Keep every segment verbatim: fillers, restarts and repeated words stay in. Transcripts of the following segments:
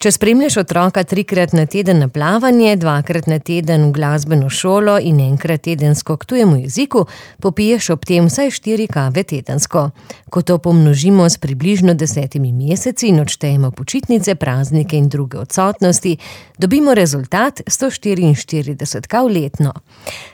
Če spremljaš otroka trikrat na teden na plavanje, dvakrat na teden v glasbeno šolo in enkrat tedensko k tujemu jeziku, popiješ ob tem vsaj štiri kave tedensko. Ko to pomnožimo s približno desetimi meseci in odštejemo počitnice, praznike in druge odsotnosti, dobimo rezultat sto štiriinštirideset kav letno.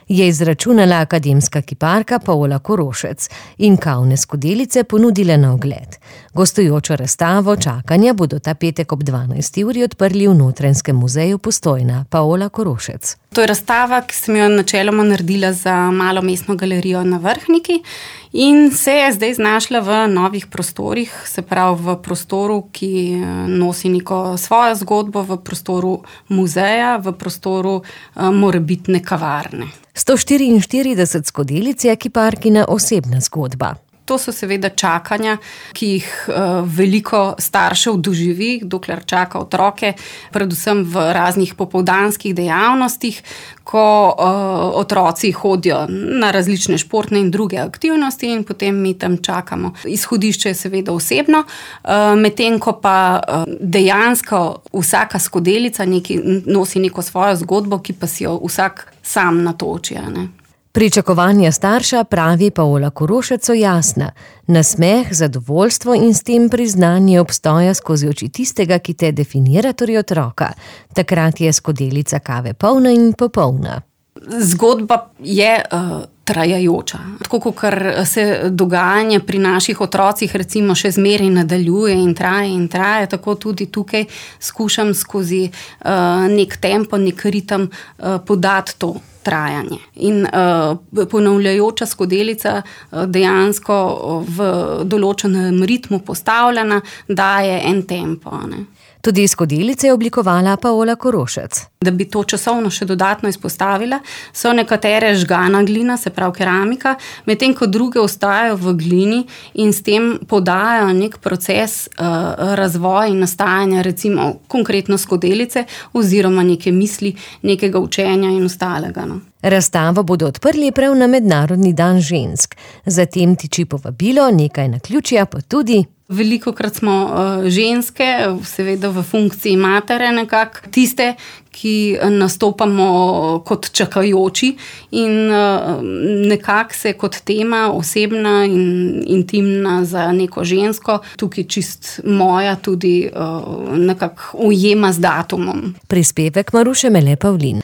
Je izračunala akademska kiparka Paola Korošec in kavne skodelice ponudila na ogled. Gostujočo razstavo čakanja bodo ta petek ob dvanajsti uri odprli v Notranjskem muzeju Postojna. Paola Korošec. To je razstava, ki sem jo načeloma naredila za malo mestno galerijo na Vrhniki in se je zdaj znašla v novih prostorih, se pravi v prostoru, ki nosi neko svojo zgodbo, v prostoru muzeja, v prostoru uh, morebitne kavarne. sto štiriinštirideset skodelic je kiparkina osebna zgodba. To so seveda čakanja, ki jih uh, veliko staršev doživi, dokler čaka otroke, predvsem v raznih popoldanskih dejavnostih, ko uh, otroci hodijo na različne športne in druge aktivnosti in potem mi tam čakamo. Izhodišče je seveda osebno, uh, medtem ko pa uh, dejansko vsaka skodelica neki, nosi neko svojo zgodbo, ki pa si jo vsak sam natoči, ne. Pričakovanja starša, pravi Paola Korošec, so jasna. Nasmeh, zadovoljstvo in s tem priznanje obstoja skozi oči tistega, ki te definira, torej otroka. Takrat je skodelica kave polna in popolna. Zgodba je uh, trajajoča. Tako, kakor se dogajanje pri naših otrocih recimo še zmeraj nadaljuje in traje in traje, tako tudi tukaj skušam skozi uh, nek tempo, nek ritem uh, podati to trajanje. In uh, ponavljajoča skodelica uh, dejansko v določenem ritmu postavljena daje en tempo, ne. Tudi skodelice je oblikovala Paola Korošec. Da bi to časovno še dodatno izpostavila, so nekatere žgana glina, se pravi keramika, medtem ko druge ostajajo v glini in s tem podajajo nek proces uh, razvoja in nastajanja, recimo konkretno skodelice oziroma neke misli, nekega učenja in ostalega, no. Razstavo bodo odprli prav na Mednarodni dan žensk. Zatem tiči povabilo, nekaj naključja pa tudi. Velikokrat smo uh, ženske, seveda v funkciji matere nekako, tiste, ki nastopamo kot čakajoči in uh, nekako se kot tema osebna in intimna za neko žensko, tukaj čist moja tudi uh, nekako ujema z datumom. Prispevek Maruše Mele Pavlin.